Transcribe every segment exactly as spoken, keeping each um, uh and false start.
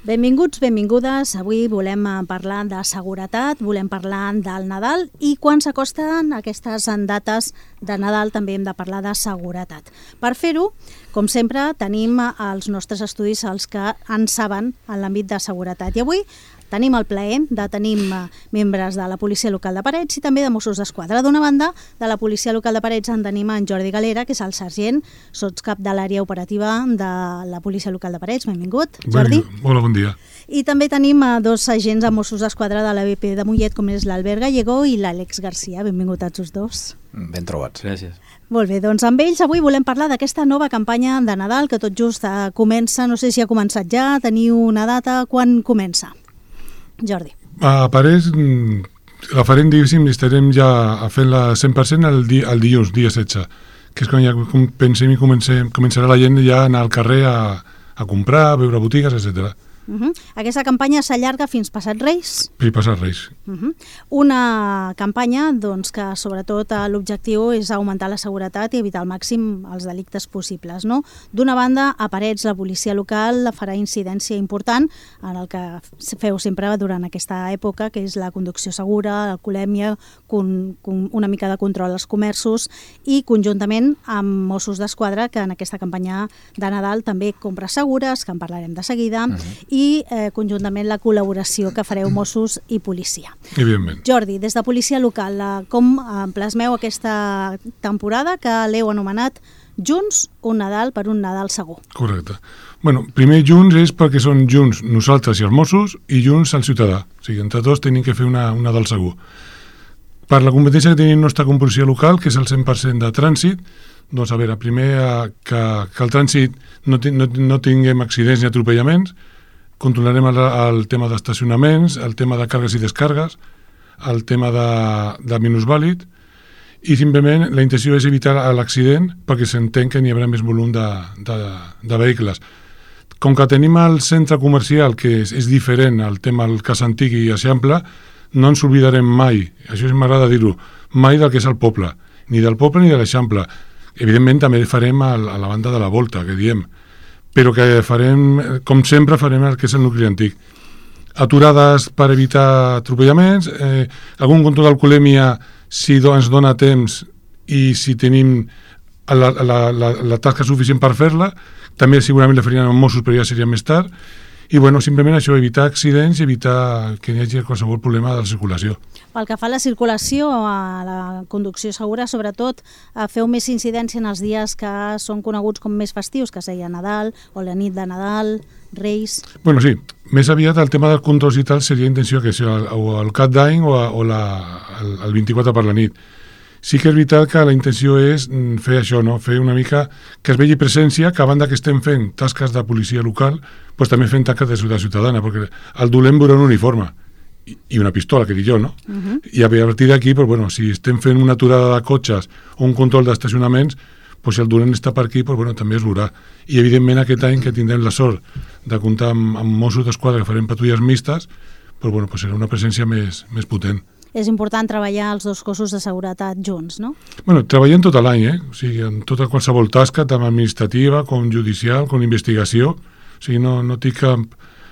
Benvinguts, benvingudes. Avui volem parlar de seguretat, volem parlar del Nadal i quan s'acosten aquestes dates de Nadal també hem de parlar de seguretat. Per fer-ho, com sempre, tenim els nostres estudis els que en saben en l'àmbit de seguretat. I avui tenim el plaer de tenir membres de la Policia Local de Parets i també de Mossos d'Esquadra. D'una banda, de la Policia Local de Parets en tenim en Jordi Galera, que és el sergent, sotscap de l'àrea operativa de la Policia Local de Parets. Benvingut, Jordi. Hola, bon dia. I també tenim dos agents de Mossos d'Esquadra de l'A B P de Mollet, com és l'Albert Gallego i l'Àlex Garcia. Benvingut a tots dos. Ben trobats. Gràcies. Molt bé, doncs amb ells avui volem parlar d'aquesta nova campanya de Nadal que tot just comença, no sé si ha començat ja, teniu una data, quan comença? Jordi. A Parets la farem, diguéssim, i estarem ja fent la cent per cent el, di, el dilluns, dia setze, que és quan ja pensem i comencem, començarà la gent ja a anar al carrer a, a comprar, a veure botigues, etcètera. Uh -huh. Aquesta campanya s'allarga fins passat Reis? Fins passat Reis. Uh -huh. Una campanya doncs, que sobretot l'objectiu és augmentar la seguretat i evitar al màxim els delictes possibles. No? D'una banda, a Parets la policia local farà incidència important en el que feu sempre durant aquesta època, que és la conducció segura, l'alcoholèmia, con, con, una mica de control als comerços i conjuntament amb Mossos d'Esquadra, que en aquesta campanya de Nadal també compres segures, que en parlarem de seguida, uh -huh. i eh, conjuntament la col·laboració que fareu Mossos i policia. Evidentment. Jordi, des de policia local, com plasmeu aquesta temporada que l'heu anomenat Junts, un Nadal per un Nadal segur? Correcte. Bueno, primer Junts és perquè són junts nosaltres i els Mossos i junts el ciutadà. O sigui, entre tots tenim que fer una, un Nadal segur. Per la competència que tenim nostra com policia local, que és el cent per cent de trànsit, doncs a veure, primer que, que el trànsit no, no, no tinguem accidents ni atropellaments, controlarem el, el tema d'estacionaments, el tema de càrregues i descàrregues, el tema de, de minusvàlid, i simplement la intenció és evitar l'accident perquè s'entén que n'hi haurà més volum de, de, de vehicles. Com que tenim el centre comercial, que és, és diferent al tema del cas antic i eixample, no ens oblidarem mai, això m'agrada dir-ho, mai del que és el poble, ni del poble ni de l'eixample. Evidentment també farem a, a la banda de la volta, que diem, però que farem, com sempre, farem el que és el nucli antic. Aturades per evitar atropellaments, eh, algun control d'alcoholèmia si do, ens dona temps i si tenim la, la, la, la tasca suficient per fer-la, també segurament la farien amb Mossos, però ja seria més tard, i bueno, simplement això, evitar accidents i evitar que hi hagi qualsevol problema de la circulació. Pel que fa a la circulació, a la conducció segura, sobretot feu més incidència en els dies que són coneguts com més festius, que seria Nadal o la nit de Nadal, Reis... Bueno, sí, més aviat el tema dels controls i tal seria intenció que sigui o el cap d'any o, o la, el, el vint-i-quatre per la nit. Sí que és veritat que la intenció és fer això, no? Fer una mica que es vegi presència, que a banda que estem fent tasques de policia local, doncs també fem tasques de ciutat ciutadana, perquè el dolent veurà un uniforme i una pistola, que dic jo, no? Uh-huh. I a partir d'aquí, doncs, bueno, si estem fent una aturada de cotxes o un control d'estacionaments, doncs si el dolent està per aquí, doncs, bueno, també es veurà. I evidentment aquest any que tindrem la sort de comptar amb, amb Mossos d'Esquadra, que farem patrulles mixtes, doncs, bueno, doncs serà una presència més, més potent. És important treballar els dos cossos de seguretat junts, no? Bueno, treballem tot l'any, eh? O sigui, en tota qualsevol tasca, tant administrativa com judicial, com investigació. O sigui, no, no tinc cap,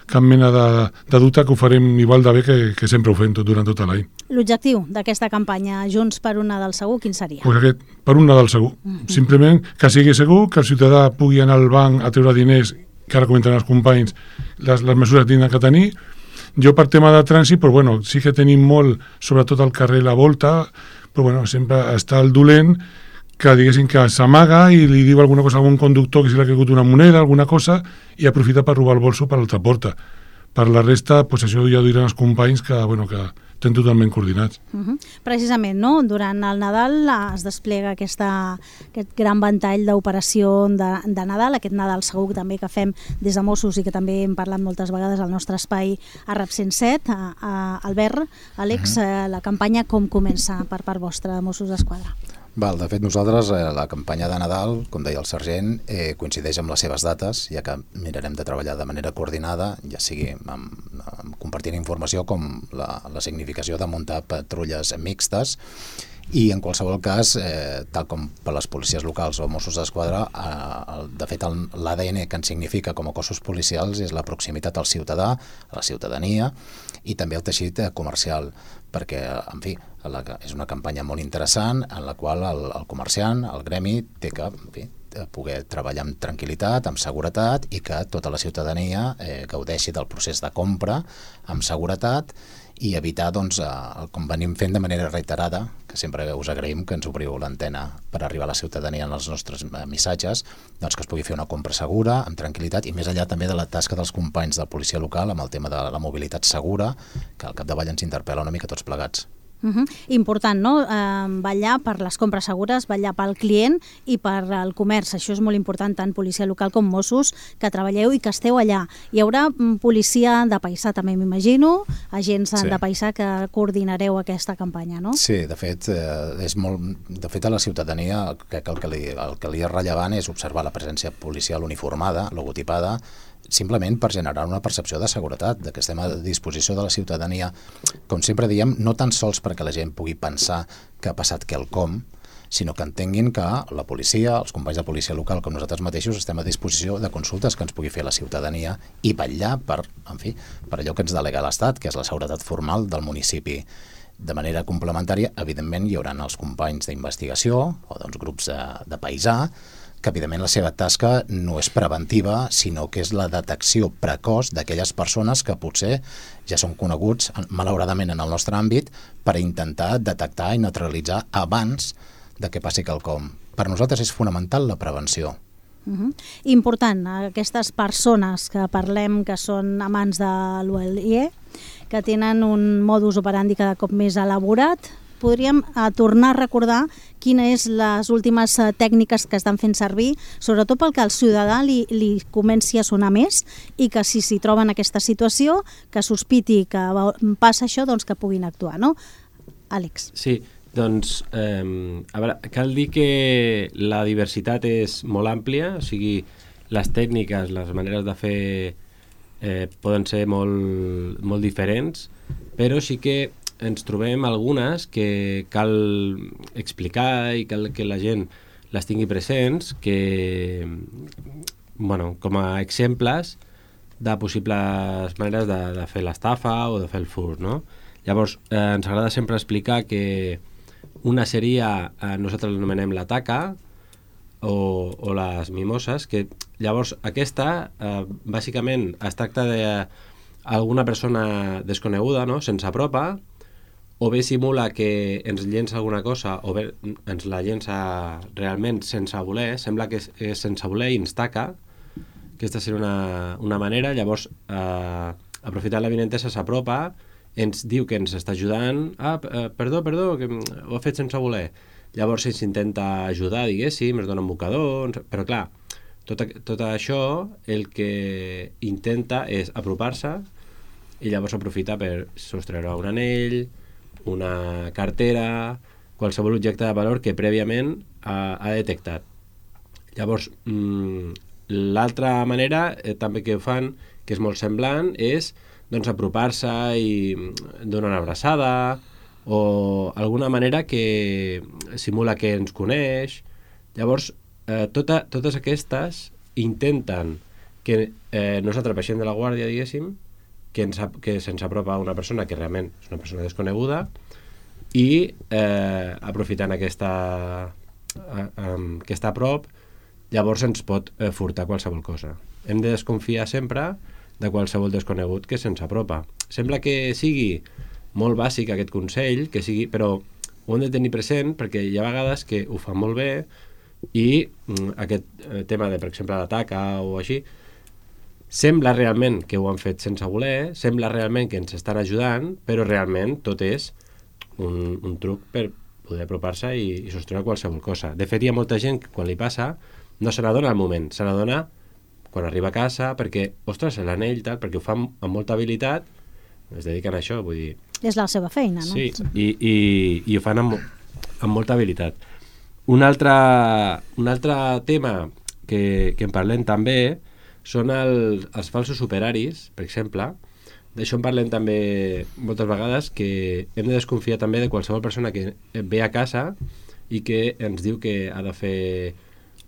cap mena de, de dubte que ho farem igual de bé que, que sempre ho fem tot, durant tot l'any. L'objectiu d'aquesta campanya Junts per un Nadal segur, quin seria? Pues aquest, per un Nadal segur. Mm-hmm. Simplement que sigui segur, que el ciutadà pugui anar al banc a treure diners, que ara comentaran els companys, les, les mesures que tindran que tenir. Jo per tema de trànsit, però bueno, sí que tenim molt, sobretot al carrer La Volta, però bueno, sempre està el dolent que diguéssim que s'amaga i li diu alguna cosa a algun conductor que se li ha caigut una moneda, alguna cosa, i aprofita per robar el bolso per l'altra porta. Per la resta, doncs això ja ho diran els companys que, bueno, que estem totalment coordinats. Uh-huh. Precisament, no? Durant el Nadal es desplega aquesta, aquest gran ventall d'operació de, de Nadal, aquest Nadal segur també que fem des de Mossos i que també hem parlat moltes vegades al nostre espai a RAP cent set. A, a Albert, Àlex, uh-huh. la campanya com comença per part vostra, Mossos d'Esquadra? Val, de fet, nosaltres, eh, la campanya de Nadal, com deia el sergent, eh, coincideix amb les seves dates, ja que mirarem de treballar de manera coordinada, ja sigui amb, amb compartint informació com la, la significació de muntar patrulles mixtes I en qualsevol cas, eh, tal com per les policies locals o Mossos d'Esquadra, eh, de fet l'A D N que ens significa com a cossos policials és la proximitat al ciutadà, a la ciutadania, i també el teixit comercial, perquè, en fi, la, és una campanya molt interessant en la qual el, el comerciant, el gremi, té que, en fi, poder treballar amb tranquil·litat, amb seguretat, i que tota la ciutadania eh, gaudeixi del procés de compra amb seguretat i evitar, doncs, eh, com venim fent de manera reiterada, que sempre us agraïm que ens obriu l'antena per arribar a la ciutadania en els nostres missatges, doncs que es pugui fer una compra segura, amb tranquil·litat, i més enllà també de la tasca dels companys de policia local amb el tema de la mobilitat segura, que al capdavall ens interpel·la una mica tots plegats. Uh-huh. Important, no? Eh, vetllar per les compres segures, vetllar pel client i per al comerç. Això és molt important, tant policia local com Mossos, que treballeu i que esteu allà. Hi haurà policia de paisà, també m'imagino, agents sí. de paisà que coordinareu aquesta campanya, no? Sí, de fet, eh, és molt, de fet a la ciutadania crec que el que, li, el que li és rellevant és observar la presència policial uniformada, logotipada, simplement per generar una percepció de seguretat, de que estem a disposició de la ciutadania, com sempre diem, no tan sols perquè la gent pugui pensar que ha passat quelcom, sinó que entenguin que la policia, els companys de policia local com nosaltres mateixos, estem a disposició de consultes que ens pugui fer la ciutadania i vetllar per, en fi, per allò que ens delega l'Estat, que és la seguretat formal del municipi. De manera complementària, evidentment, hi haurà els companys d'investigació o doncs, grups de, de paisà, que evidentment la seva tasca no és preventiva, sinó que és la detecció precoç d'aquelles persones que potser ja són coneguts, malauradament en el nostre àmbit, per intentar detectar i neutralitzar abans de que passi quelcom. Per nosaltres és fonamental la prevenció. Uh-huh. Important, aquestes persones que parlem que són amants de l'U L I E, que tenen un modus operandi cada cop més elaborat, podríem uh, tornar a recordar quines són les últimes uh, tècniques que estan fent servir, sobretot pel que al ciutadà li, li comenci a sonar més i que si s'hi troben en aquesta situació, que sospiti que va, passa això, doncs que puguin actuar, no? Àlex. Sí, doncs eh, a veure, cal dir que la diversitat és molt àmplia, o sigui, les tècniques, les maneres de fer eh, poden ser molt, molt diferents, però sí que ens trobem algunes que cal explicar i cal que la gent les tingui presents, que, bueno, com a exemples de possibles maneres de, de fer l'estafa o de fer el furt, no? Llavors, eh, ens agrada sempre explicar que una seria, eh, nosaltres l'anomenem la taca o, o les mimoses, que llavors aquesta, eh, bàsicament, es tracta d'alguna persona desconeguda, no?, sense apropa, o bé simula que ens llença alguna cosa, o bé ens la llença realment sense voler, sembla que és, és sense voler i ens taca. Aquesta seria una, una manera. Llavors, eh, aprofitant l'avinentesa, s'apropa, ens diu que ens està ajudant, ah, perdó, perdó, que ho ha fet sense voler. Llavors ens intenta ajudar, diguéssim, ens dona un bocador, però clar, tot, tot això el que intenta és apropar-se i llavors aprofita per sostreure un anell, una cartera, qualsevol objecte de valor que prèviament ha, ha detectat. Llavors, mmm, l'altra manera eh, també que ho fan, que és molt semblant, és doncs, apropar-se i donar una abraçada o alguna manera que simula que ens coneix. Llavors, eh, tota, totes aquestes intenten que eh, nosaltres baixem de la guàrdia, diguéssim, que, ens, que se'ns apropa una persona que realment és una persona desconeguda i eh, aprofitant aquesta, eh, um, que està a prop, llavors ens pot eh, furtar qualsevol cosa. Hem de desconfiar sempre de qualsevol desconegut que se'ns apropa. Sembla que sigui molt bàsic aquest consell, que sigui, però ho hem de tenir present perquè hi ha vegades que ho fan molt bé i mm, aquest eh, tema de, per exemple, l'ataca o així, sembla realment que ho han fet sense voler, sembla realment que ens estan ajudant, però realment tot és un, un truc per poder apropar-se i, i sostreure qualsevol cosa. De fet, hi ha molta gent que quan li passa no se n'adona al moment, se n'adona quan arriba a casa perquè, ostres, l'anell, tal, perquè ho fan amb molta habilitat, es dediquen a això, vull dir... És la seva feina, no? Sí, i, i, i ho fan amb, amb molta habilitat. Un altre, un altre tema que, que en parlem també són el, els falsos operaris, per exemple, d'això en parlem també moltes vegades, que hem de desconfiar també de qualsevol persona que ve a casa i que ens diu que ha de fer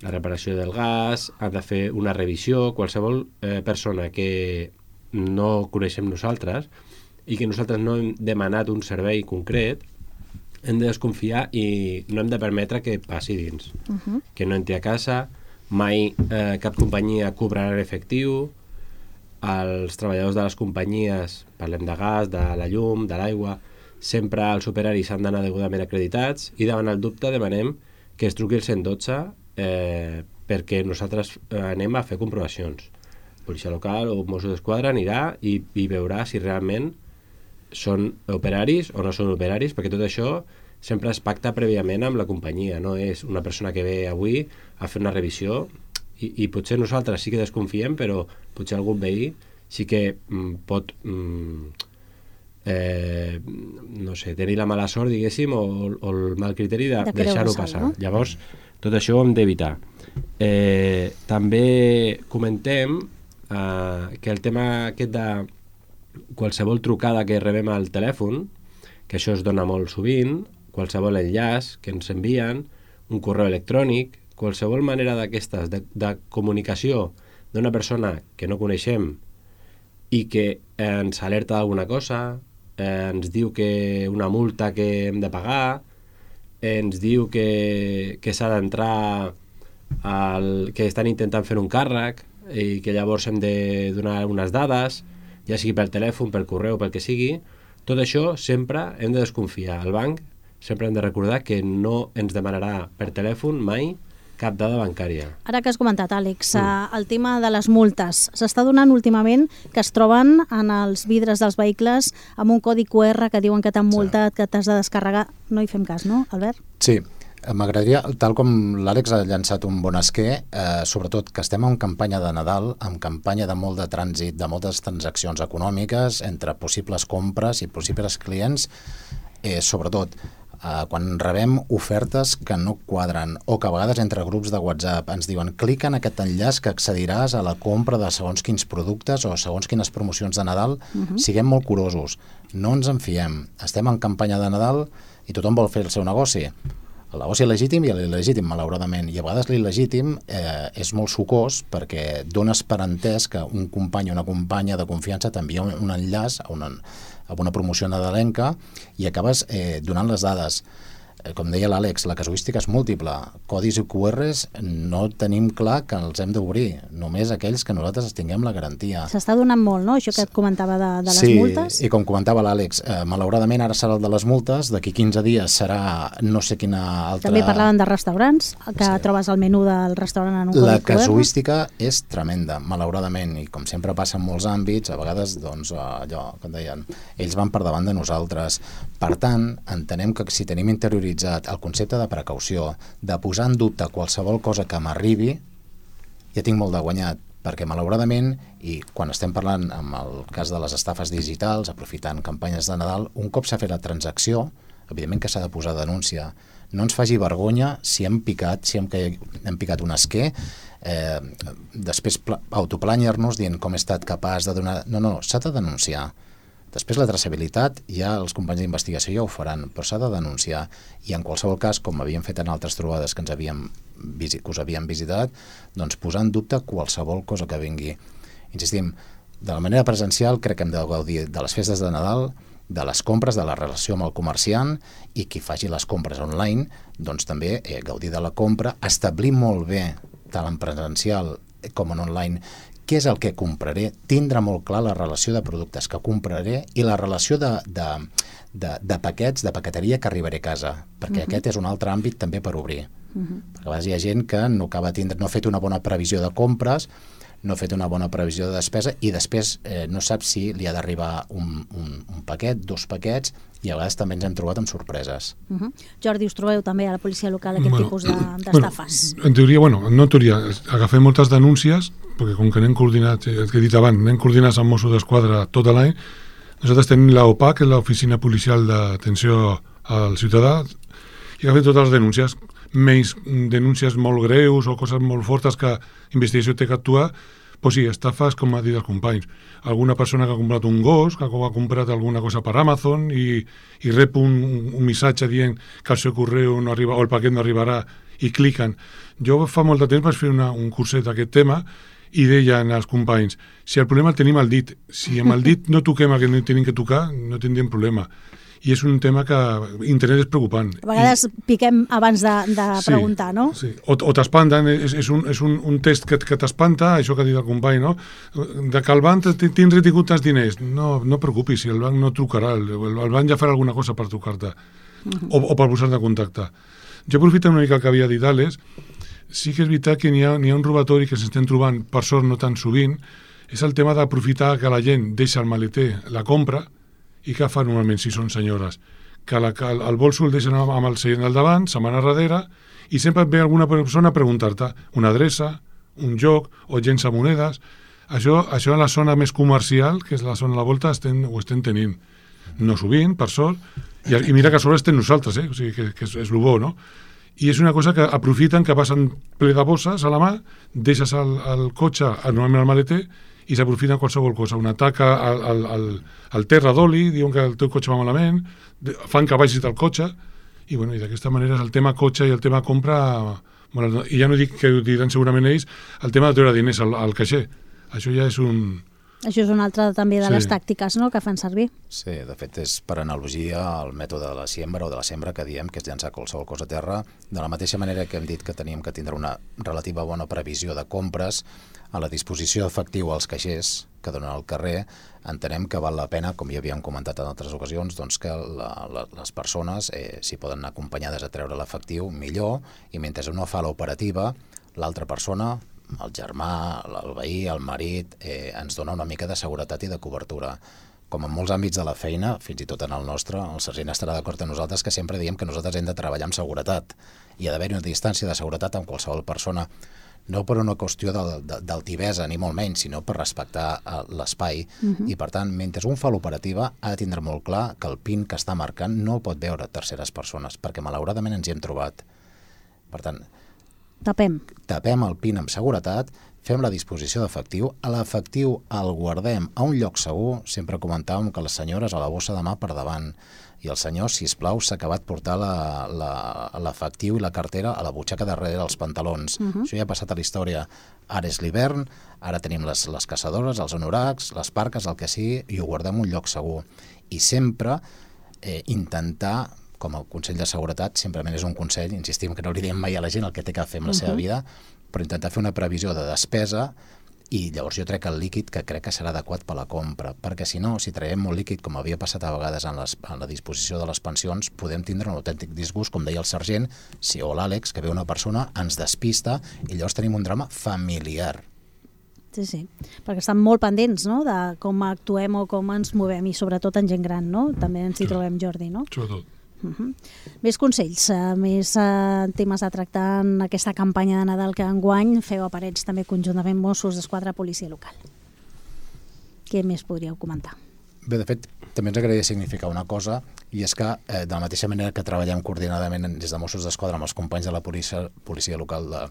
la reparació del gas, ha de fer una revisió, qualsevol eh, persona que no coneixem nosaltres i que nosaltres no hem demanat un servei concret, hem de desconfiar i no hem de permetre que passi dins. Uh-huh. Que no entri a casa, mai eh, cap companyia cobrarà en efectiu, els treballadors de les companyies, parlem de gas, de la llum, de l'aigua, sempre els operaris han d'anar degudament acreditats i davant el dubte demanem que es truqui el cent dotze eh, perquè nosaltres eh, anem a fer comprovacions. Policia local o Mossos d'Esquadra anirà i, i veurà si realment són operaris o no són operaris, perquè tot això sempre es pacta prèviament amb la companyia, no és una persona que ve avui a fer una revisió i, i potser nosaltres sí que desconfiem, però potser algun veí sí que mm, pot mm, eh, no sé, tenir la mala sort, diguéssim, o, o el mal criteri de, de deixar-ho passar. No? Llavors, tot això ho hem d'evitar. Eh, també comentem eh, que el tema aquest de qualsevol trucada que rebem al telèfon, que això es dona molt sovint, qualsevol enllaç que ens envien, un correu electrònic, qualsevol manera d'aquestes de, de comunicació d'una persona que no coneixem i que ens alerta d'alguna cosa, eh, ens diu que una multa que hem de pagar, eh, ens diu que, que s'ha d'entrar al, que estan intentant fer un càrrec i que llavors hem de donar unes dades, ja sigui per telèfon, per correu, pel que sigui, tot això sempre hem de desconfiar. El banc sempre hem de recordar que no ens demanarà per telèfon mai cap dada bancària. Ara que has comentat, Àlex, mm. el tema de les multes. S'està donant últimament que es troben en els vidres dels vehicles amb un codi cu erre que diuen que t'han multat, sí. que t'has de descarregar. No hi fem cas, no, Albert? Sí. M'agradaria, tal com l'Àlex ha llançat un bon esquer, eh, sobretot que estem en campanya de Nadal, en campanya de molt de trànsit, de moltes transaccions econòmiques entre possibles compres i possibles clients, eh, sobretot eh, quan rebem ofertes que no quadren o que a vegades entre grups de WhatsApp ens diuen clica en aquest enllaç que accediràs a la compra de segons quins productes o segons quines promocions de Nadal, uh-huh. siguem molt curosos, no ens en fiem, estem en campanya de Nadal i tothom vol fer el seu negoci. El negoci legítim i l'il·legítim, malauradament. I a vegades l'il·legítim eh, és molt sucós perquè dones per entès que un company o una companya de confiança t'envia un, un enllaç a una, a una promoció nadalenca i acabes eh, donant les dades. Eh, com deia l'Àlex, la casuística és múltiple. Codis i cu erres no tenim clar que els hem d'obrir, només aquells que nosaltres tinguem la garantia. S'està donant molt, no?, això que et comentava de, de les sí, multes. Sí, i com comentava l'Àlex, eh, malauradament ara serà el de les multes, d'aquí quinze dies serà no sé quina altra... També parlaven de restaurants, que sí. trobes el menú del restaurant en un codi La cu erre. casuística és tremenda, malauradament, i com sempre passa en molts àmbits, a vegades, doncs, allò que deien, ells van per davant de nosaltres. Per tant, entenem que si tenim interioritzat el concepte de precaució, de posar en dubte qualsevol cosa que m'arribi, ja tinc molt de guanyat, perquè malauradament, i quan estem parlant amb el cas de les estafes digitals, aprofitant campanyes de Nadal, un cop s'ha fet la transacció, evidentment que s'ha de posar denúncia. No ens faci vergonya si hem picat, si hem, hem picat un esquer, eh, després autoplanyar-nos dient com he estat capaç de donar... No, no, s'ha de denunciar. Després la traçabilitat, ja els companys d'investigació ja ho faran, però s'ha de denunciar i en qualsevol cas, com havíem fet en altres trobades que, ens havíem, que us havíem visitat, doncs posar en dubte qualsevol cosa que vingui. Insistim, de la manera presencial crec que hem de gaudir de les festes de Nadal, de les compres, de la relació amb el comerciant i qui faci les compres online, doncs també eh, gaudir de la compra, establir molt bé, tant en presencial com en online, què és el que compraré, tindre molt clar la relació de productes que compraré i la relació de, de, de, de paquets, de paqueteria que arribaré a casa, perquè uh-huh. aquest és un altre àmbit també per obrir. Uh-huh. Perquè a vegades hi ha gent que no acaba tindre, no ha fet una bona previsió de compres, no ha fet una bona previsió de despesa i després eh, no sap si li ha d'arribar un, un, un paquet, dos paquets, i a vegades també ens hem trobat amb sorpreses. Uh-huh. Jordi, us trobeu també a la policia local aquest bueno, tipus d'estafes? Bueno, en teoria, bueno, no en teoria, agafem moltes denúncies, perquè com que anem coordinats, el que he dit abans, anem coordinats amb Mossos d'Esquadra tot l'any, nosaltres tenim l'O P A, que és l'Oficina Policial d'Atenció al Ciutadà, i agafem totes les denúncies, menys denúncies molt greus o coses molt fortes que investigació té que actuar, Pues sí, estafes, com ha dit els companys. Alguna persona que ha comprat un gos, que ha comprat alguna cosa per Amazon i, i rep un, un missatge dient que el seu correu no arriba o el paquet no arribarà i cliquen. Jo fa molt de temps vaig fer una, un curset d'aquest tema i deien els companys, si el problema el tenim al dit, si amb el dit no toquem el que no tenim que tocar, no tindríem problema. I és un tema que internet és preocupant. A vegades I, piquem abans de, de sí, preguntar, no? Sí, o, o t'espanten, és, és, un, és un, un test que, que t'espanta, això que ha dit el company, no? De que el banc tens retingut tants diners. No, no preocupis, si el banc no trucarà, el, el banc ja farà alguna cosa per trucar-te, uh-huh. o, o per posar-te en contacte. Jo aprofito una mica el que havia dit Àlex, sí que és veritat que n'hi ha, n'hi ha un robatori que s'estem trobant, per sort no tan sovint, és el tema d'aprofitar que la gent deixa el maleter, la compra, i què fa normalment si són senyores? Que, la, que el, el bolso el deixen amb el seient al davant, se'n van a darrere, i sempre et ve alguna persona a preguntar-te una adreça, un joc, o llença monedes. Això, això a la zona més comercial, que és la zona de la volta, estem, ho estem tenint. No sovint, per sort, i, i mira que a sobre estem nosaltres, eh? O sigui, que, que és, és el bo, no? I és una cosa que aprofiten, que passen ple de bosses a la mà, deixes el, el cotxe, normalment al maleter, i s'aprofiten qualsevol cosa, una taca al, al, al, al terra d'oli, diuen que el teu cotxe va malament, fan que vagis del cotxe, i, bueno, i d'aquesta manera el tema cotxe i el tema compra, bueno, i ja no dic que ho diran segurament ells, el tema de treure diners al, al caixer, això ja és un... Això és una altra també de sí. les tàctiques, no?, que fan servir. Sí, de fet és per analogia el mètode de la siembra o de la sembra que diem, que és llançar qualsevol cosa a terra, de la mateixa manera que hem dit que teníem que tindre una relativa bona previsió de compres, a la disposició d'efectiu als caixers que donen al carrer, entenem que val la pena, com ja havíem comentat en altres ocasions, doncs que la, la, les persones, eh, si poden anar acompanyades a treure l'efectiu, millor, i mentre uno fa l'operativa, l'altra persona, el germà, el veí, el marit, eh, ens dona una mica de seguretat i de cobertura. Com en molts àmbits de la feina, fins i tot en el nostre, el sergent estarà d'acord amb nosaltres que sempre diem que nosaltres hem de treballar amb seguretat i ha d'haver una distància de seguretat amb qualsevol persona, no per una qüestió d'altivesa ni molt menys, sinó per respectar l'espai. Uh-huh. I per tant, mentre un fa l'operativa, ha de tindre molt clar que el pin que està marcant no pot veure terceres persones, perquè malauradament ens hi hem trobat. Per tant, tapem. Tapem el pin amb seguretat, fem la disposició d'efectiu, a l'efectiu el guardem a un lloc segur, sempre comentàvem que les senyores a la bossa de mà per davant, i el senyor, sisplau, s'ha acabat portar l'efectiu i la cartera a la butxaca darrere dels pantalons. Uh-huh. Això ja ha passat a la història. Ara és l'hivern, ara tenim les, les caçadores, els anoracs, les parques, el que sigui, i ho guardem en un lloc segur. I sempre eh, intentar, com a consell de seguretat, simplement és un consell, insistim que no li diem mai a la gent el que té que fer amb la uh-huh. seva vida, però intentar fer una previsió de despesa, i llavors jo trec el líquid que crec que serà adequat per la compra, perquè si no, si traiem molt líquid, com havia passat a vegades en, les, en la disposició de les pensions, podem tindre un autèntic disgust, com deia el sergent, si o l'Àlex, que ve una persona, ens despista i llavors tenim un drama familiar. Sí, sí, perquè estan molt pendents, no?, de com actuem o com ens movem, i sobretot en gent gran, no? També ens hi trobem, Jordi, no? Sobretot. Uh-huh. Més consells, uh, més uh, temes a tractar en aquesta campanya de Nadal que enguany feu a Parets també conjuntament Mossos d'Esquadra, Policia Local. Què més podríeu comentar? Bé, de fet, també ens agradaria significar una cosa, i és que eh, de la mateixa manera que treballem coordinadament des de Mossos d'Esquadra amb els companys de la policia, policia local de,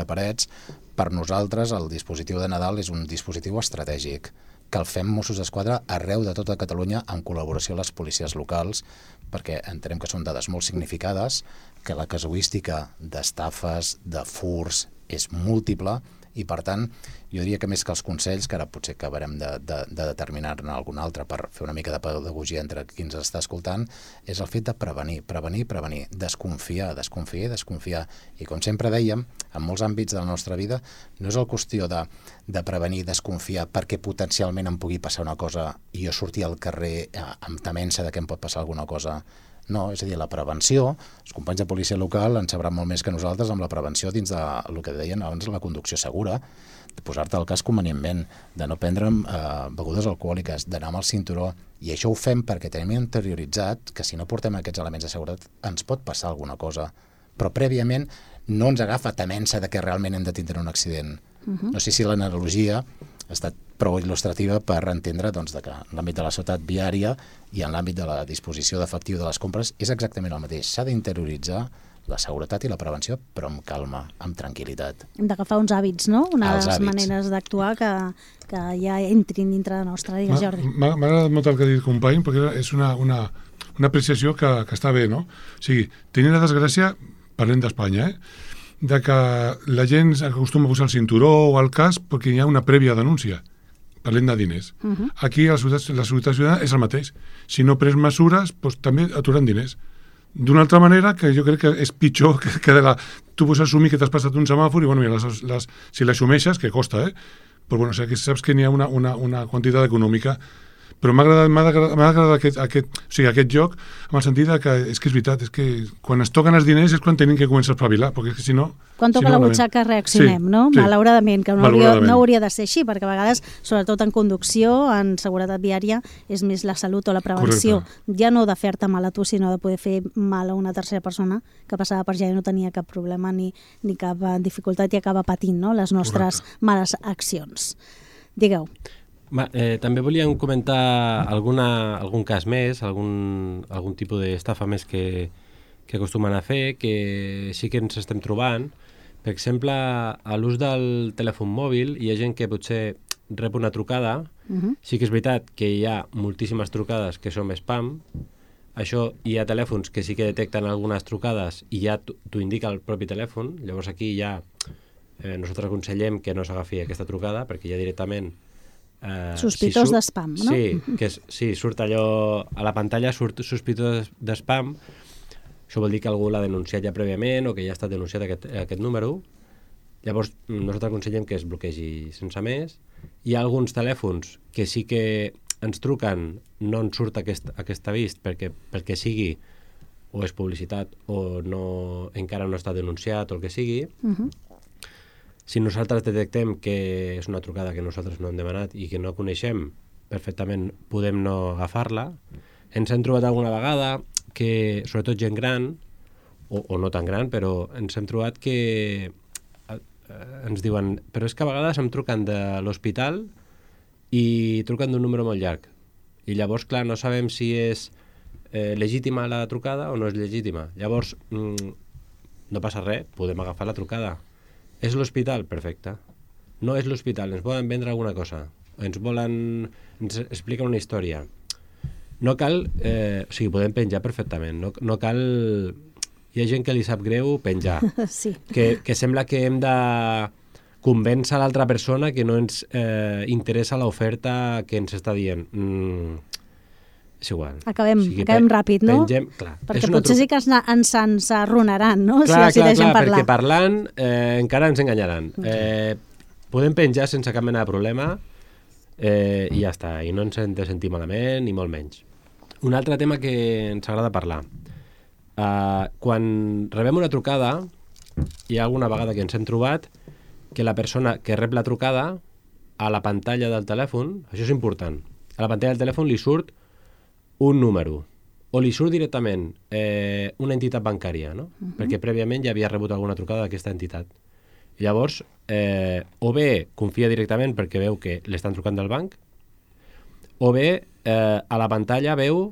de Parets, per nosaltres el dispositiu de Nadal és un dispositiu estratègic que el fem Mossos d'Esquadra arreu de tota Catalunya en col·laboració amb les policies locals, perquè entenem que són dades molt significades, que la casuística d'estafes, de furs, és múltiple, i per tant, jo diria que més que els consells, que ara potser acabarem de, de, de determinar-ne algun altre per fer una mica de pedagogia entre qui ens està escoltant, és el fet de prevenir, prevenir, prevenir, desconfiar, desconfiar i desconfiar. I com sempre dèiem, en molts àmbits de la nostra vida, no és el qüestió de, de prevenir, desconfiar, perquè potencialment em pugui passar una cosa i jo sortir al carrer amb temença de que em pot passar alguna cosa. No, és a dir, la prevenció, els companys de policia local en sabran molt més que nosaltres amb la prevenció dins de el que deien abans, la conducció segura, de posar-te al cas convenientment, de no prendre eh, begudes alcohòliques, d'anar amb el cinturó, i això ho fem perquè tenim interioritzat que si no portem aquests elements de seguretat ens pot passar alguna cosa, però prèviament no ens agafa temença de que realment hem de tindre un accident. Uh-huh. No sé si l'analogia ha estat prou il·lustrativa per entendre doncs, que en l'àmbit de la seguretat viària i en l'àmbit de la disposició d'efectiu de les compres és exactament el mateix. S'ha d'interioritzar la seguretat i la prevenció, però amb calma, amb tranquil·litat. Hem d'agafar uns hàbits, no? Unes hàbits. maneres d'actuar que, que ja entrin dintre de nostra. Digues, Jordi. M'ha agradat molt el que ha dit el company, perquè és una, una, una apreciació que, que està bé, no? O sigui, tenir la desgràcia, parlem d'Espanya, eh? de que la gent acostuma a posar el cinturó o el casc perquè hi ha una prèvia denúncia. Parlem de diners. Uh -huh. Aquí la seguretat, la seguretat ciutadana és el mateix. Si no pres mesures, doncs, també aturan diners. D'una altra manera, que jo crec que és pitjor que, que de la... Tu pots assumir que t'has passat un semàfor i, bueno, mira, les, les, si l'assumeixes, que costa, eh? Però, bueno, o sigui, que saps que n'hi ha una, una, una quantitat econòmica. Però m'ha agradat, m'ha agradat, m'ha agradat aquest, aquest, o sigui, aquest joc, amb el sentit que és que és veritat, és que quan es toquen els diners és quan tenim que començar a espavilar, perquè és que si no... Quan toca si no, la butxaca reaccionem, sí, no? Sí. Malauradament, que no hauria, Malauradament. no hauria de ser així, perquè a vegades, sobretot en conducció, en seguretat viària, és més la salut o la prevenció. Correcte. Ja no de fer-te mal a tu, sinó de poder fer mal a una tercera persona que passava per allà i no tenia cap problema ni, ni cap dificultat i acaba patint, no?, les nostres Correcte. males accions. Digueu. Va, eh, també volíem comentar alguna, algun cas més, algun, algun tipus d'estafa més que, que acostumen a fer, que sí que ens estem trobant. Per exemple, a l'ús del telèfon mòbil hi ha gent que potser rep una trucada. Uh-huh. Sí que és veritat que hi ha moltíssimes trucades que són spam. Això, hi ha telèfons que sí que detecten algunes trucades i ja t'ho indica el propi telèfon. Llavors aquí ja eh, nosaltres aconsellem que no s'agafi aquesta trucada perquè ja directament Uh, sospitós si d'espam, no? Sí, que és, sí, surt allò a la pantalla, surt sospitós d'espam. Això vol dir que algú l'ha denunciat ja prèviament o que ja ha estat denunciat aquest, aquest número. Llavors nosaltres aconsellem que es bloquegi sense més. Hi ha alguns telèfons que sí que ens truquen, no ens surt aquest, aquest avís perquè, perquè sigui o és publicitat o no, encara no està denunciat o el que sigui. Uh-huh. Si nosaltres detectem que és una trucada que nosaltres no hem demanat i que no coneixem, perfectament podem no agafar-la. Ens hem trobat alguna vegada que, sobretot gent gran, o, o no tan gran, però ens hem trobat que eh, ens diuen, però és que a vegades em truquen de l'hospital i truquen d'un número molt llarg. I llavors, clar, no sabem si és eh, legítima la trucada o no és legítima. Llavors, mm, no passa res, podem agafar la trucada. És l'hospital? Perfecte. No és l'hospital, ens volen vendre alguna cosa. Ens volen... ens expliquen una història. No cal... Eh, o sigui, podem penjar perfectament. No, no cal... Hi ha gent que li sap greu penjar. Sí. Que, que sembla que hem de convèncer l'altra persona que no ens eh, interessa l'oferta que ens està dient. Mm, és igual. Acabem, o sigui, acabem ràpid, no? Pengem, clar, perquè potser sí que ens, ens arrunaran, no? Clar, si decideixen clar, clar, parlar. perquè parlant eh, encara ens enganyaran. Eh, podem penjar sense cap mena de problema eh, i ja està, i no ens hem de sentir malament, ni molt menys. Un altre tema que ens agrada parlar. Uh, quan rebem una trucada, hi ha alguna vegada que ens hem trobat que la persona que rep la trucada a la pantalla del telèfon, això és important, a la pantalla del telèfon li surt un número, o li surt directament eh, una entitat bancària, no? Uh-huh. Perquè prèviament ja havia rebut alguna trucada d'aquesta entitat. I llavors, eh, o bé confia directament perquè veu que l'estan trucant del banc, o bé eh, a la pantalla veu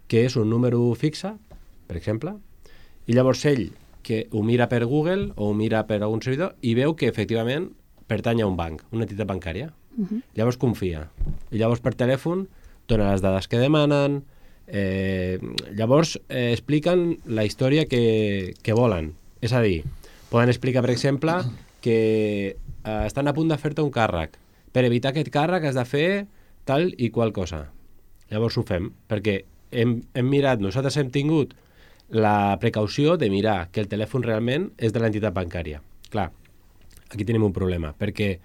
que és un número fixe, per exemple, i llavors ell que ho mira per Google o ho mira per algun servidor i veu que efectivament pertany a un banc, una entitat bancària. Uh-huh. Llavors confia. I llavors per telèfon dona les dades que demanen, eh, llavors eh, expliquen la història que, que volen. És a dir, poden explicar, per exemple, que eh, estan a punt de fer-te un càrrec. Per evitar aquest càrrec has de fer tal i qual cosa. Llavors ho fem, perquè hem, hem mirat, nosaltres hem tingut la precaució de mirar que el telèfon realment és de l'entitat bancària. Clar, aquí tenim un problema, perquè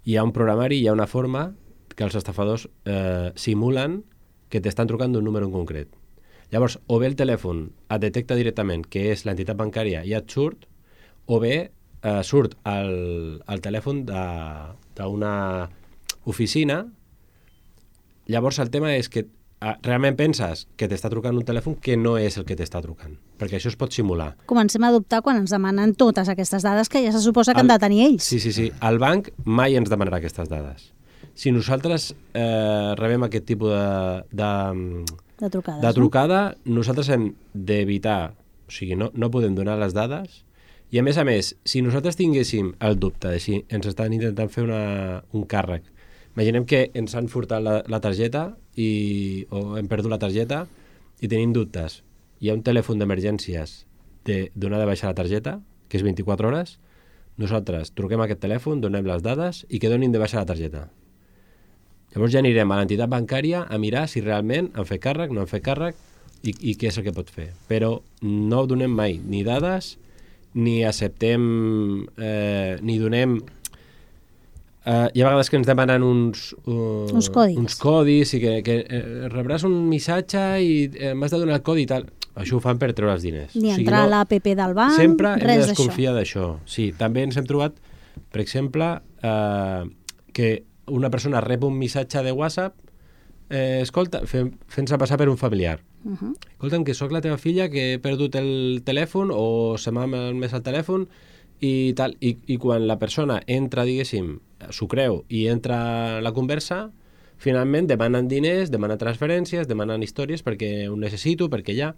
hi ha un programari, hi ha una forma que els estafadors eh, simulen que t'estan trucant d'un número en concret. Llavors, o bé el telèfon et detecta directament que és l'entitat bancària i et surt, o bé eh, surt el, el telèfon d'una oficina. Llavors, el tema és que eh, realment penses que t'està trucant un telèfon que no és el que t'està trucant, perquè això es pot simular. Comencem a dubtar quan ens demanen totes aquestes dades que ja se suposa que el, han de tenir ells. Sí, sí, sí. El banc mai ens demanarà aquestes dades. Si nosaltres eh, rebem aquest tipus de, de, de, trucades, de trucada, no? Nosaltres hem d'evitar O sigui, no, no podem donar les dades. I a més a més, si nosaltres tinguéssim el dubte de si ens estan intentant fer una, un càrrec, imaginem que ens han furtat la, la targeta i, o hem perdut la targeta i tenim dubtes. Hi ha un telèfon d'emergències de donar de baixa la targeta, que és vint-i-quatre hores, nosaltres truquem a aquest telèfon, donem les dades i que donin de baixa la targeta. Llavors ja anirem a l'entitat bancària a mirar si realment han fet càrrec, no han fet càrrec i, i què és el que pot fer. Però no donem mai ni dades, ni acceptem, eh, ni donem... Uh, hi ha vegades que ens demanen uns, uh, uns codis, uns codis i que, que uh, rebràs un missatge i uh, m'has de donar el codi i tal. Això ho fan per treure els diners. Ni o sigui, entrar no, a l'A P P del banc, sempre res d'això. Sempre hem de desconfiar d'això. Sí, també ens hem trobat, per exemple, uh, que una persona rep un missatge de WhatsApp eh, escolta, fent-se passar per un familiar. Uh -huh. Escolta'm, que sóc la teva filla, que he perdut el telèfon o se m'ha malmès el telèfon i tal. I, I quan la persona entra, diguéssim, s'ho creu i entra a la conversa, finalment demanen diners, demanen transferències, demanen històries perquè ho necessito, perquè hi ha...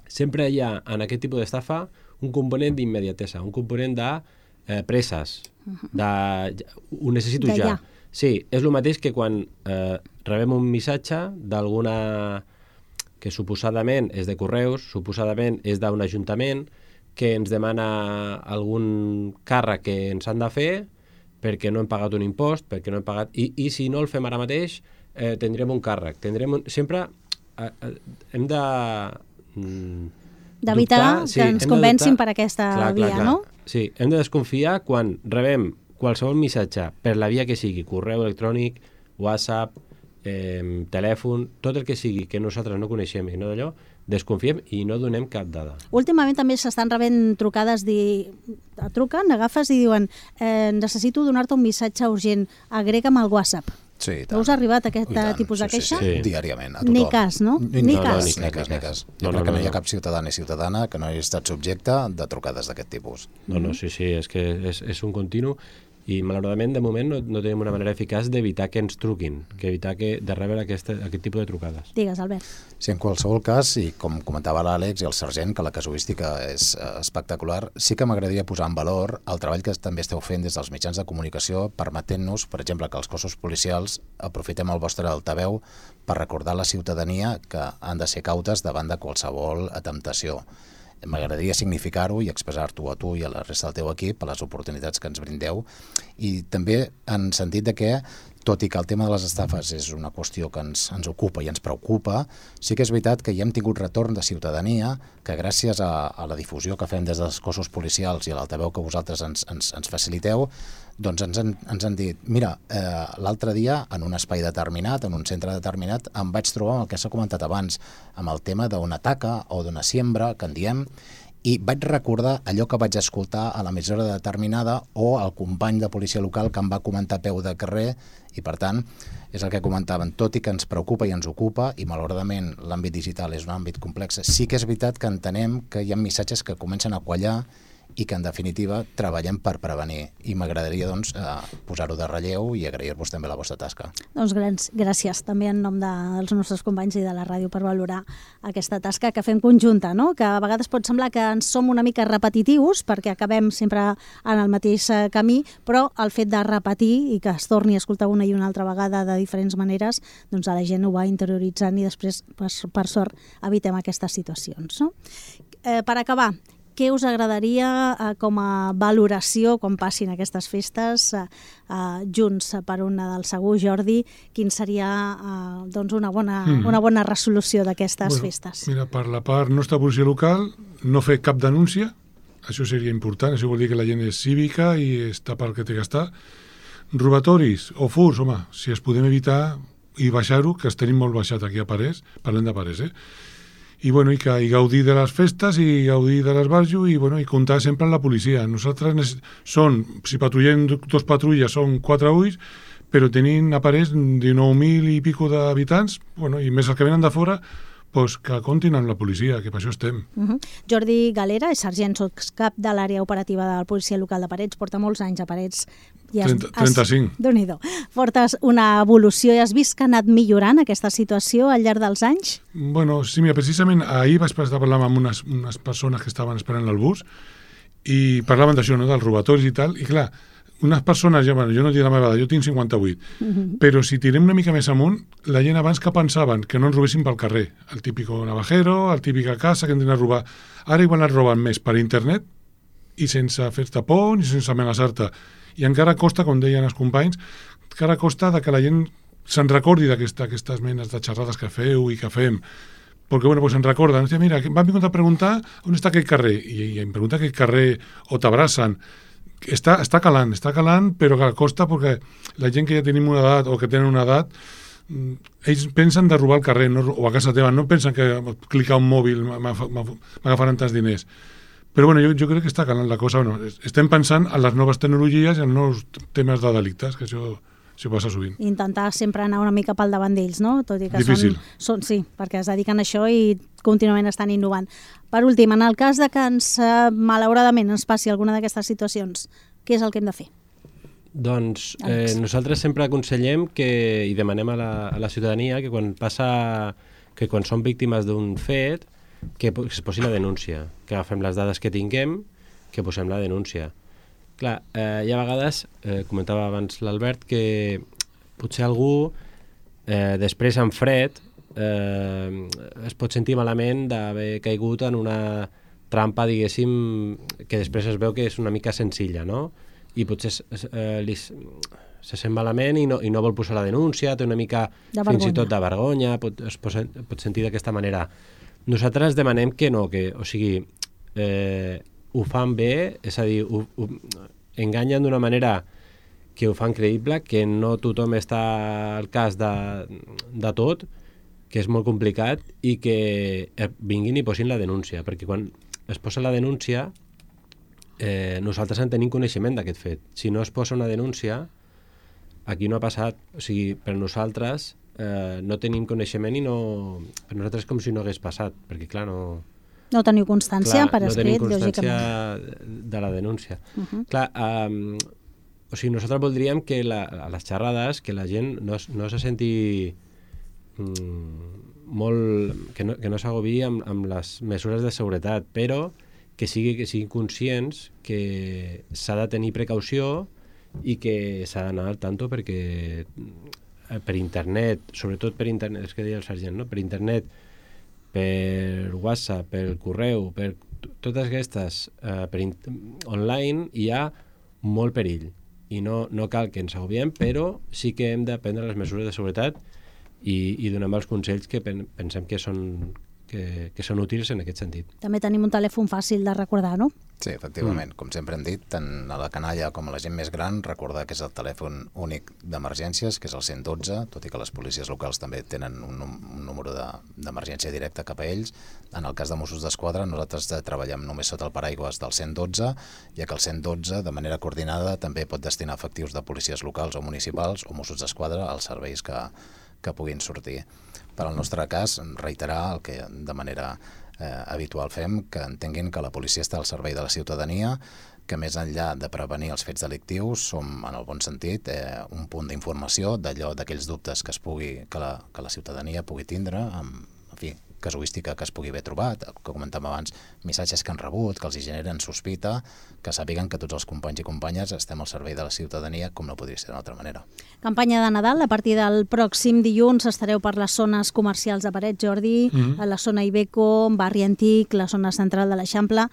Sempre hi ha en aquest tipus d'estafa un component d'immediatesa, un component de eh, presses, de... ho necessito de ja. ja. Sí, és el mateix que quan eh, rebem un missatge d'alguna... que suposadament és de correus, suposadament és d'un ajuntament, que ens demana algun càrrec que ens han de fer perquè no hem pagat un impost, perquè no hem pagat... I, i si no el fem ara mateix, eh, tindrem un càrrec. Tindrem un... Sempre eh, eh, hem de... Mm, d'evitar sí, que ens convencin per aquesta clar, via, clar, clar. no? Sí, hem de desconfiar quan rebem qualsevol missatge per la via que sigui, correu electrònic, WhatsApp, eh, telèfon, tot el que sigui que nosaltres no coneixem i no d'allò, desconfiem i no donem cap dada. Últimament també s'estan rebent trucades, di... truquen, agafes i diuen eh, necessito donar-te un missatge urgent, agrega'm al WhatsApp. Sí, no us ha arribat aquest tipus de queixa? Sí, sí, sí. Diàriament, a tothom. Ni cas, no? Ni, ni no, cas. No, ni cas, ni cas. Jo no, crec no, que no hi ha cap ciutadà ni ciutadana que no hagi estat subjecte de trucades d'aquest tipus. No, no, sí, sí, és que és, és un continu i malauradament de moment no, no tenim una manera eficaç d'evitar que ens truquin, que evitar que, de rebre aquest, aquest tipus de trucades. Digues, Albert. Sí, en qualsevol cas, i com comentava l'Àlex i el sergent, que la casuística és eh, espectacular, sí que m'agradaria posar en valor el treball que també esteu fent des dels mitjans de comunicació, permetent-nos, per exemple, que els cossos policials aprofitem el vostre altaveu per recordar a la ciutadania que han de ser cautes davant de qualsevol temptació. M'agradaria significar-ho i expressar-t'ho a tu i a la resta del teu equip a les oportunitats que ens brindeu i també en sentit de que, tot i que el tema de les estafes és una qüestió que ens, ens ocupa i ens preocupa, sí que és veritat que ja hem tingut retorn de ciutadania que gràcies a, a la difusió que fem des dels cossos policials i a l'altaveu que vosaltres ens, ens, ens faciliteu, doncs ens han, ens han dit, mira, eh, l'altre dia en un espai determinat, en un centre determinat, em vaig trobar amb el que s'ha comentat abans, amb el tema d'una taca o d'una siembra, que en diem, i vaig recordar allò que vaig escoltar a l'emissora determinada o al company de policia local que em va comentar a peu de carrer i, per tant, és el que comentaven, tot i que ens preocupa i ens ocupa i, malauradament, l'àmbit digital és un àmbit complex, sí que és veritat que entenem que hi ha missatges que comencen a quallar i que, en definitiva, treballem per prevenir. I m'agradaria, doncs, eh, posar-ho de relleu i agrair-vos també la vostra tasca. Doncs grans, gràcies també en nom de, dels nostres companys i de la ràdio per valorar aquesta tasca que fem conjunta, no? Que a vegades pot semblar que ens som una mica repetitius perquè acabem sempre en el mateix camí, però el fet de repetir i que es torni a escoltar una i una altra vegada de diferents maneres, doncs a la gent ho va interioritzant i després, per, per sort, evitem aquestes situacions, no? Eh, per acabar, què us agradaria eh, com a valoració quan passin aquestes festes eh, eh, junts per una del segur, Jordi? Quin seria eh, doncs una, bona, mm. una bona resolució d'aquestes bueno, festes? Mira, per la part nostra policia local, no fer cap denúncia, això seria important, això vol dir que la gent és cívica i està pel que té que estar. Robatoris o furs, home, si es podem evitar i baixar-ho, que es tenim molt baixat aquí a Parés, parlem de Parés, eh? I, bueno, i, que, i gaudir de les festes i gaudir de l'esbarjo i, bueno, i comptar sempre amb la policia. Nosaltres són, si patrullem dos patrulles, són quatre ulls, però tenint a Parés dinou mil i pico d'habitants, bueno, i més els que venen de fora, pues que comptin amb la policia, que per això estem. Uh-huh. Jordi Galera és sergent sotscap de l'àrea operativa de la policia local de Parets, porta molts anys a Parets. I has, trenta, trenta-cinc. Has, Déu-n'hi-do. Portes una evolució i has vist que ha anat millorant aquesta situació al llarg dels anys? Bueno, sí, mira, precisament ahir vaig estar parlant amb unes, unes persones que estaven esperant el bus i parlaven d'això, no?, dels robatoris i tal, i clar, unes persones, ja, bueno, jo no diré la meva edat, jo tinc cinquanta-vuit, uh-huh. però si tirem una mica més amunt, la gent abans que pensaven que no ens robessin pel carrer, el típico navajero, el típica casa que entren a robar, ara igual es roben més per internet i sense fer-te por ni sense amenaçar-te. I encara costa, com deien els companys, encara costa de que la gent se'n recordi d'aquestes menes de xerrades que feu i que fem. Perquè, bueno, pues se'n recorden. Mira, m'han vingut a preguntar on està aquell carrer. I, i em pregunta aquell carrer o t'abracen. Està, està calant, està calant, però que costa perquè la gent que ja tenim una edat o que tenen una edat, ells pensen de robar al carrer, no, o a casa teva, no pensen que clicar un mòbil m'agafaran tants diners. Però bueno, jo, jo crec que està calant la cosa. Bueno, estem pensant en les noves tecnologies i en nous temes de delictes, que això, això passa sovint. Intentar sempre anar una mica pel davant d'ells, no? Tot i que Difícil. Són, són, sí, perquè es dediquen a això i contínuament estan innovant. Per últim, en el cas de que ens, malauradament, ens passi alguna d'aquestes situacions, què és el que hem de fer? Doncs eh, nosaltres sempre aconsellem que, i demanem a la, a la ciutadania que quan passa, que quan són víctimes d'un fet, que es posi la denúncia, que agafem les dades que tinguem, que posem la denúncia. Clar, eh, hi ha vegades, eh, comentava abans l'Albert, que potser algú eh, després en fred eh, es pot sentir malament d'haver caigut en una trampa, diguéssim, que després es veu que és una mica senzilla, no? I potser eh, li, se sent malament i no, i no vol posar la denúncia, té una mica de fins i tot de vergonya, pot, es pot, pot sentir d'aquesta manera. Nosaltres demanem que no, que, o sigui, eh, ho fan bé, és a dir, ho, ho, enganyen d'una manera que ho fan creïble, que no tothom està al cas de, de tot, que és molt complicat, i que vinguin i posin la denúncia, perquè quan es posa la denúncia, eh, nosaltres en tenim coneixement d'aquest fet. Si no es posa una denúncia, aquí no ha passat, o sigui, per nosaltres eh, no tenim coneixement i no... Per nosaltres és com si no hagués passat, perquè clar, no... No teniu constància clar, per escrit, lògicament. No tenim constància lògicament. de la denúncia. Uh-huh. Clar, um, o sigui, nosaltres voldríem que la, a les xerrades que la gent no, no se senti mm, molt... que no, que no s'agobi amb, amb les mesures de seguretat, però que sigui que siguin conscients que s'ha de tenir precaució i que s'ha d'anar al tanto perquè per internet, sobretot per internet, és que deia el sergent, no? Per internet, per WhatsApp, per correu, per totes aquestes eh, per online hi ha molt perill i no, no cal que ens agobiem, però sí que hem de prendre les mesures de seguretat i, i donem els consells que pen, pensem que són, que, que són útils en aquest sentit. També tenim un telèfon fàcil de recordar, no? Sí, efectivament. Mm. Com sempre hem dit, tant a la canalla com a la gent més gran, recordar que és el telèfon únic d'emergències, que és el cent dotze, tot i que les policies locals també tenen un, un número d'emergència de, directa cap a ells. En el cas de Mossos d'Esquadra, nosaltres treballem només sota el paraigües del cent dotze, ja que el cent dotze, de manera coordinada, també pot destinar efectius de policies locals o municipals o Mossos d'Esquadra als serveis que, que puguin sortir. Per al nostre cas, reiterar el que de manera eh, habitual fem, que entenguin que la policia està al servei de la ciutadania, que més enllà de prevenir els fets delictius som, en el bon sentit, eh, un punt d'informació d'allò, d'aquells dubtes que es pugui, que la, que la ciutadania pugui tindre, amb, en fi, casuística que es pugui haver trobat, que comentàvem abans, missatges que han rebut, que els hi generen sospita, que sàpiguen que tots els companys i companyes estem al servei de la ciutadania, com no podria ser d'una altra manera. Campanya de Nadal, a partir del pròxim dilluns estareu per les zones comercials de Parets, Jordi, mm-hmm. a la zona Ibeco, barri antic, la zona central de l'Eixample.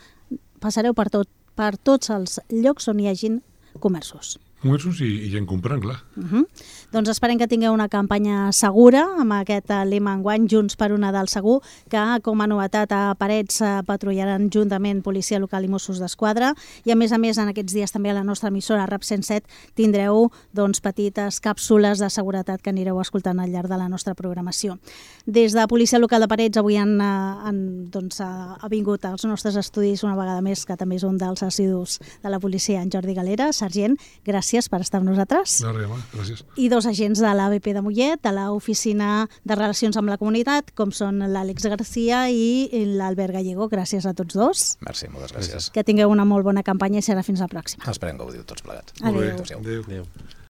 Passareu per, tot, per tots els llocs on hi hagin comerços. Comerços i, i gent comprant, clar. Uh-huh. Doncs esperem que tingueu una campanya segura amb aquest lema enguany, Junts per un Nadal segur, que com a novetat a Parets patrullaran juntament Policia Local i Mossos d'Esquadra, i a més a més en aquests dies també a la nostra emissora RAP cent set tindreu doncs, petites càpsules de seguretat que anireu escoltant al llarg de la nostra programació. Des de Policia Local de Parets avui han, han doncs, ha vingut als nostres estudis una vegada més, que també és un dels assidus de la policia, en Jordi Galera. Sergent, gràcies per estar amb nosaltres. No, res, gràcies. I dos dos agents de l'A B P de Mollet, de l'Oficina de Relacions amb la Comunitat, com són l'Àlex Garcia i l'Albert Gallego. Gràcies a tots dos. Merci, moltes gràcies. Que tingueu una molt bona campanya i serà fins la pròxima. Esperem que ho diu tots plegats. Adéu. Adéu. Adéu. Adéu.